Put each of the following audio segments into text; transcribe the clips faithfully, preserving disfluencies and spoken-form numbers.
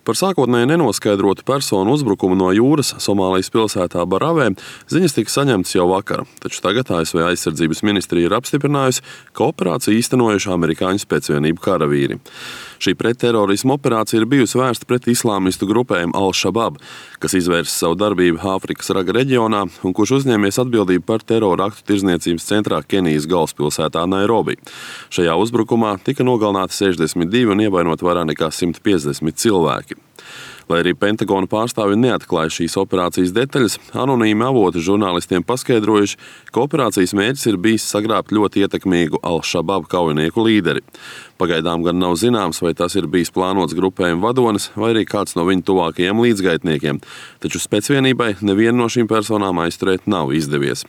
Par sākotnēji nenoskaidrotu personu uzbrukumu no jūras Somālijas pilsētā Baravē ziņas tika saņemtas jau vakar, taču tagad A S V aizsardzības ministrija ir apstiprinājusi, ka operāciju īstenojuši amerikāņu spēcvienību karavīri. Šī pretterorisma operācija ir bijusi vērsta pret islāmistu grupējumu Al-Shabab, kas izvērsa savu darbību Āfrikas raga reģionā un kurš uzņēmies atbildību par terora aktu tirdzniecības centrā Kenijas galvaspilsētā Nairobi. Šajā uzbrukumā tika nogalināti sešdesmit divi un ievainoti vairāk nekā simt piecdesmit cilvēki. Lai arī Pentagona pārstāvji neatklāja šīs operācijas detaļas, anonīmi avoti žurnālistiem paskaidrojuši, ka operācijas mērķis ir bijis sagrābt ļoti ietekmīgu Al-Shabab kaujinieku līderi. Pagaidām gan nav zināms, vai tas ir bijis plānots grupējuma vadonis vai arī kāds no viņu tuvākajiem līdzgaitniekiem, taču spēcvienībai nevienu no šīm personām aizturēt nav izdevies.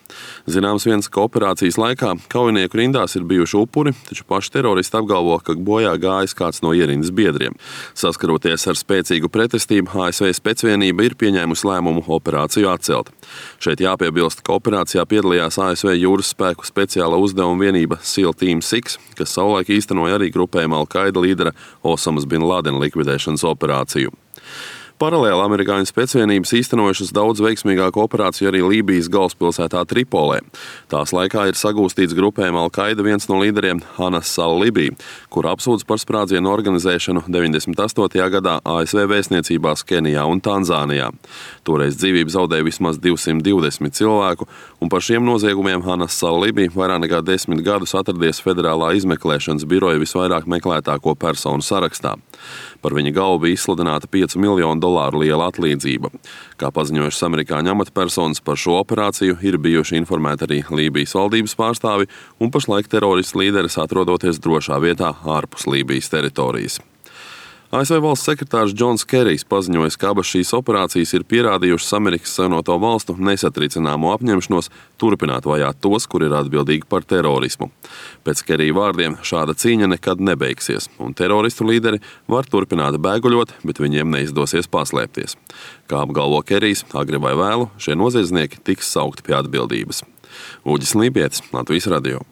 Zināms viens, ka operācijas laikā kaujinieku rindās ir bijuši upuri, taču paši teroristi apgalvo, ka bojā gājis kāds no ierindas biedriem. Saskaroties ar spēcīgu pretestību, A S V spēcvienība ir pieņēmusi lēmumu operāciju atcelt. Šeit jāpiebilst, ka operācijā piedalījās A S V jūras spēku speciāla uzdevuma vienība SEAL Team six, kas savulaik īstenoja arī grupējuma Al-Qaida līdera Osamas bin Ladena likvidēšanas operāciju. Paralēli amerikāņu spēcvienības īstenojušas daudz veiksmīgāku operāciju arī Lībijas galvaspilsētā Tripolē. Tās laikā ir sagūstīts grupējuma Al-Qaida viens no līderiem Anas al-Libī, kur apsūdz par sprādzienu organizēšanu deviņdesmit astotajā gadā A S V vēstniecībās Kenijā un Tanzānijā. Toreiz dzīvību zaudēja vismaz divsimt divdesmit cilvēku, un par šiem noziegumiem Anas al-Libī vairāk nekā desmit gadus atradies Federālā izmeklēšanas biroja visvairāk meklētāko personu sarakstā. Par viņa galvu bija izsludināta piecu miljonu dolāru liela atlīdzība. Kā paziņojušas amerikāņu amatpersonas, par šo operāciju ir bijuši informēti arī Lībijas valdības pārstāvi, un pašlaik teroristu līderis atrodoties drošā vietā ārpus Lībijas teritorijas. A S V valsts sekretārs Džons Kerijs paziņoja, ka abas šīs operācijas ir pierādījušas Amerikas Savienoto Valstu nesatricināmo apņemšanos turpināt vajāt tos, kuri ir atbildīgi par terorismu. Pēc Kerija vārdiem šāda cīņa nekad nebeigsies, un teroristu līderi var turpināt bēguļot, bet viņiem neizdosies paslēpties. Kā apgalvo Kerijs, agri vai vēlu šie noziedznieki tiks saukti pie atbildības. Uģis Lībietis, Latvijas radio.